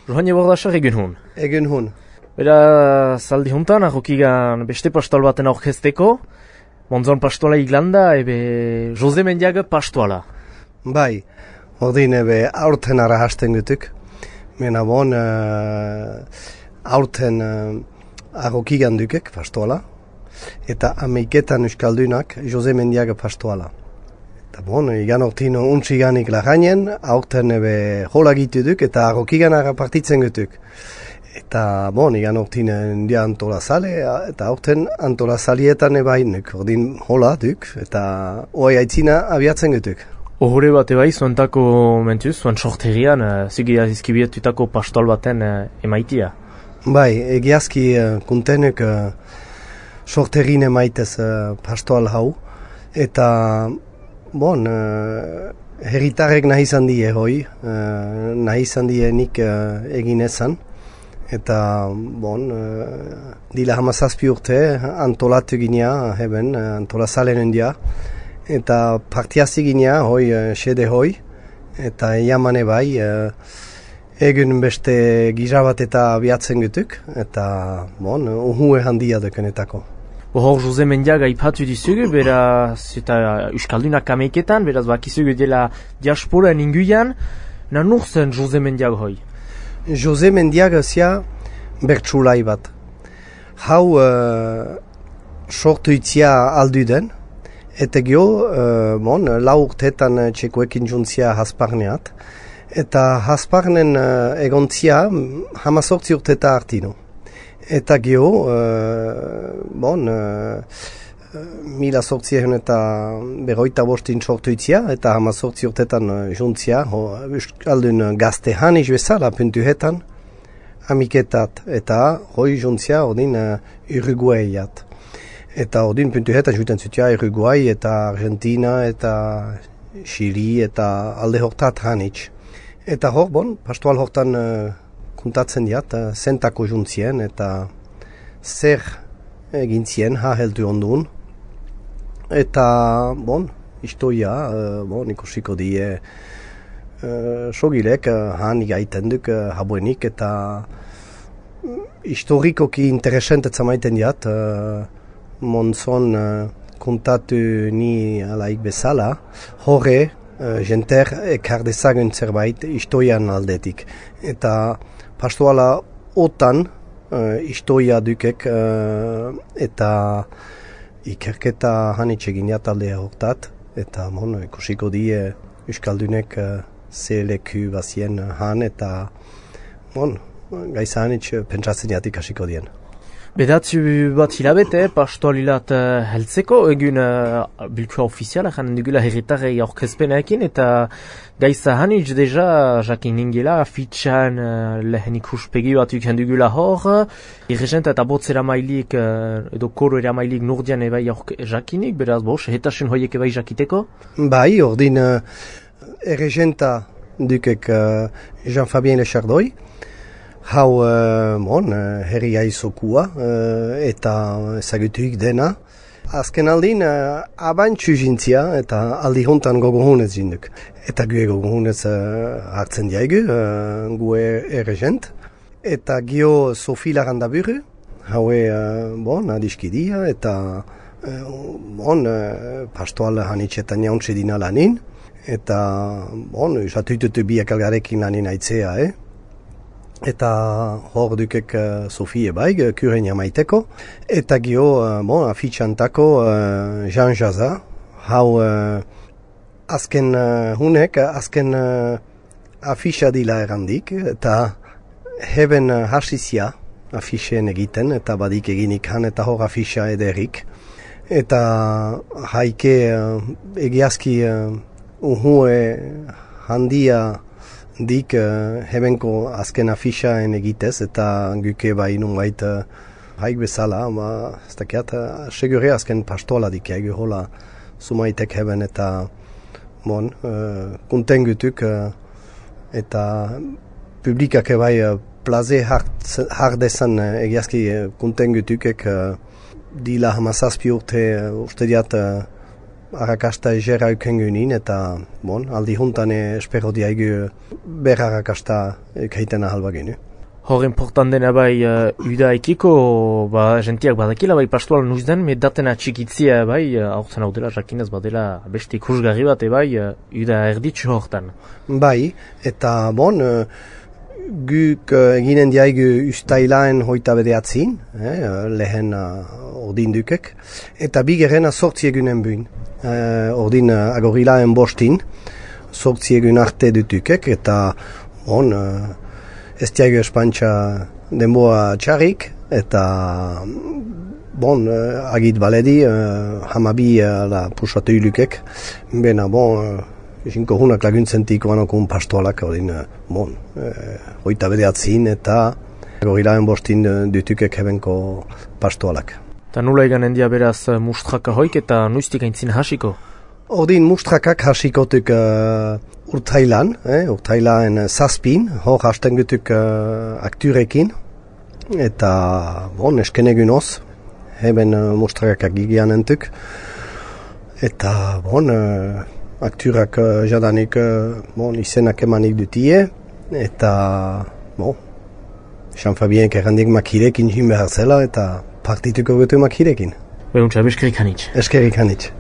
Johan Bordasar egun hon. Egun hon. Bera, zaldi hontan, ahokigan beste pastoal baten aurkezteko, Monzon pastoala iglanda, Jose Mendiaga pastoala. Bai, ordin aurten ara hasten gutuk. Mena bon, aurten ahokigan dukek pastoala, eta ameiketan euskaldunak Jose Mendiaga pastoala. Eta bon, igan ortin untxiganik lagainen, aurten hola gitu duk, eta ahokigan ara partitzen gutuk. Eta bon, igan ortin dia antolazale, eta aurten antolazalietan ebainuk, ordin hola duk, eta oai aitzina abiatzen gutuk. Ohore bat ebai, zuentako mentuz, zuen sorterian, zigia izkibietutako pastoal baten emaitia. Bai, egiazki kuntenuk sorterin emaitez pastoal hau, eta bon, herritarek nahi izan die hoi, nahi izan die nik egin ezan, eta bon, dila hamazazpi urte antolatu ginea, heben, antolazalen dia, eta partiazi ginea, hoi, sede hoi, eta jamane bai, egun beste gizabat eta abiatzen gutuk, eta bon, uhue handia dukenetako. Hor Jose Mendiaga ipatu dizugu, beraz, eta euskaldunak ameiketan, beraz bakizugu dela diasporan inguian, nanur zen Jose Mendiaga hoi? Jose Mendiaga zia bertsulai bat. Hau sortu itzia aldu den, eta gio, bon, lau urtetan txekoekin juntzia hasparneat, eta hasparnen egontzia hamazortzi urteta artino. Eta gio, bon, 1800 eta berroita bostin sortu itzia, eta hamazortzi urtetan juntzia, aldun gazte hanis bezala puntuhetan, amiketat, eta hoi juntzia ordin Uruguayat. Eta ordin puntuhetan juten zutia Uruguay eta Argentina eta Chili eta alde hortat hanitz. Eta hor, bon, pastoal hortan kuntatzen diat, zentako juntzien eta zer egintzien heldu ondun. Eta, bon, istoia, bon, ikusiko die sogilek han igaiten duk habuenik eta historikoki interesentet zamaiten diat, Monzon kontatu ni alaik bezala, horre jenter ekar dezagun zerbait istoian aldetik. Eta pastoala otan istoia dukek eta ikerketa hanitxegin talde hortat, eta bon, ikusiko die euskaldunek ze leku bazien han, eta bon, gaiza hanitx pentsatzen jatik hasiko dien. Bedatzu bat hilabete, pastoalilat heltzeko, egun bilkua ofiziala, janen dugula herritarrei aurkezpenekin, eta gaiza hanitz deja, jakin ningela, fitxan lehen ikuspegi bat uken dugula hor, irregent eta botzera mailik, edo koro era mailik nordian ebai jakinik, beraz bos, hetasun hoiek ebai jakiteko? Bai, ordin erregenta dukek Jean-Fabien Lechardoi, hau, bon, herria izokua eta ezagutuik dena. Azken aldin, abantxu jintzia eta aldi hontan gogohunez jinduk. Eta gue gogohunez hartzen diaigu, gue erregent. Eta gio Sofi Larandaburu, haue, bon, adiskidia eta bon, pastoal hanitxetan jauntxe dina lanin. Eta, bon, usatututu biak algarekin lanin aitzea, Eta hor dukek Sofie baig, kuren jamaiteko. Eta gio, bon, afitxantako Jean Jaza. Hau azken hunek, azken afitxa dila erandik. Eta heben hasizia afixen egiten, eta badik eginik han, eta hor afitxa ederik. Eta haike egiazki uhue handia dik hebenko azken afixaen egitez, eta guke bai nunbait haik bezala, ez dakiat, segure azken pastola dik egu hola sumaitek heben, eta bon, kunten gutuk, eta publikak bai plaze hardezan egiazki kunten gutukek dila hamazazpi urte diat arrakasta egera eukengunin, eta aldi juntan espero diaigu ber arrakasta eukaiten ahalba genu. Hor important dena bai uda ekiko, jentiak badakila bai pastoal nuiz den, datena txikitzia bai, aurten hau dela, jakinez badela beste ikusgarri bat bai, uda erditzu hortan. Bai, eta guk eginen diaigu ustailaen hoita bedeatzin, lehen ordin dukek, eta bigerena sortzi egunen buin. Ordin agorilaen bostin, sortzi egun arte dutukek, eta ez diaigu espantxa denboa txarrik, eta agit baledi, hamabi pusatu ilukek, bena Isinko hunak laguntzentik banokun pastoalak hoita bedeatzin eta gorilaen bostin dutukek hebenko pastoalak. Eta nula eganen dia beraz mustraka hoik eta nuiztik aintzin hasiko? Ordin mustrakak hasikotuk urtailan, urtailaen zazpin, hor hasten gutuk akturekin, eta eskenegun oz, heben mustrakak gigian entuk, eta akturak jadanik izenak emanik dutie, eta Jean Fabien errandik makirekin jin behar zela, eta partituko gutu makirekin. Behuntza, eskerik hanitz. Eskerik hanitz.